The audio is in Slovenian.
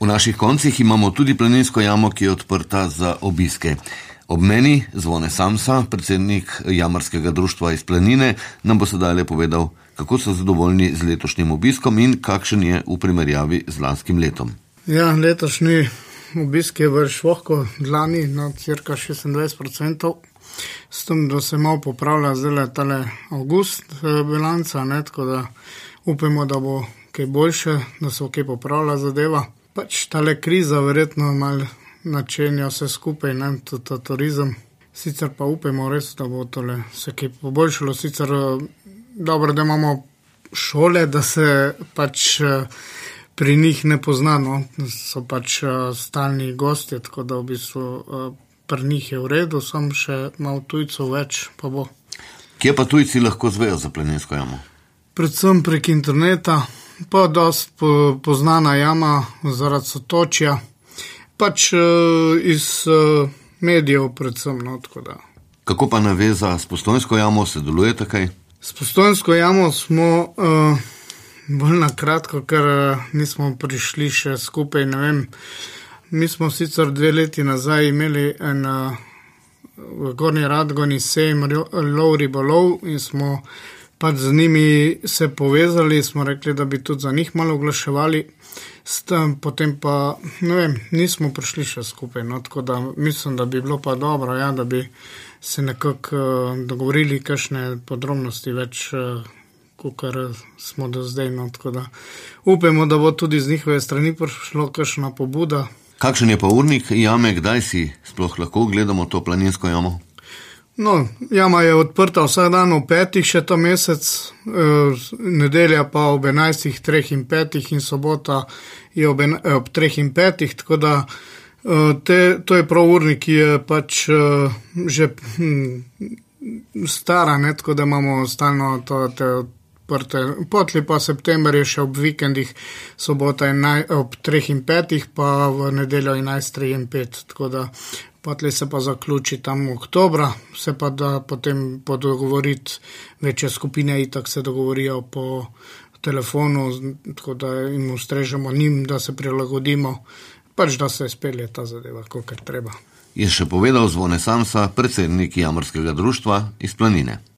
naših koncih imamo tudi planinsko jamo, ki je odprta za obiske. Ob meni Zvone Samsa, predsednik Jamarskega društva iz Planine, nam bo sedaj povedal, kako so zadovoljni z letošnjim obiskom in kakšen je v primerjavi z lanskim letom. Ja, letošnji obisk je vrš vohko dlani na cirka 26%, s tem, da se malo popravlja zdaj tale avgust bilanca, tako da upamo, da bo kaj boljše, da se bo kaj popravila zadeva. Pač tale kriza verjetno malo načenja vse skupaj, tudi ta turizem. Sicer pa upamo res, da bo tole se kaj poboljšalo. Sicer dobro, da imamo šole, da se pač pri njih ne pozna, so pač stalni gostje, tako da v bistvu pri njih je v redu, samo še malo tujcev več pa bo. Kje pa tujci lahko zvejo za planinsko jamo? Predvsem prek interneta, pa dost poznana jama zaradi sotočja, pač iz medijev predvsem, tako da. Kako pa naveza s Postojnsko jamo, se delujete kaj? S Postojnsko jamo smo bolj na kratko, ker nismo prišli še skupaj, ne vem. Mi smo sicer 2 leti nazaj imeli v Gornji Radgoni sejem lov ribolov in smo pač z njimi se povezali, smo rekli, da bi tudi za njih malo oglaševali, potem pa, ne vem, nismo prišli še skupaj, tako da mislim, da bi bilo pa dobro, da bi se nekako dogovorili kakšne podrobnosti več, kakor smo do zdaj, tako da upamo, da bo tudi z njihove strani prišlo kakšna pobuda. Kakšen je pa urnik jame, kdaj si sploh lahko gledamo to planinsko jamo? Jama je odprta vsak dan ob 5 še ta mesec, nedelja pa ob 11, 3 in 5 in sobota je ob 3 in 5, tako da to je prav urnik, ki je pač že stara, tako da imamo stalno te odprte. Potli pa september je še ob vikendih, sobota ob 3 in 5, pa v nedeljo 11, 3 in 5, tako da potli se pa zaključi tam oktobra, se pa da potem podogovoriti večje skupine, itak se dogovorijo po telefonu, tako da jim ustrežemo njim, da se prilagodimo, pač da se spelje ta zadeva, kolikor treba. Je še povedal Zvone Samsa, predsednik Jamarskega društva iz Planine.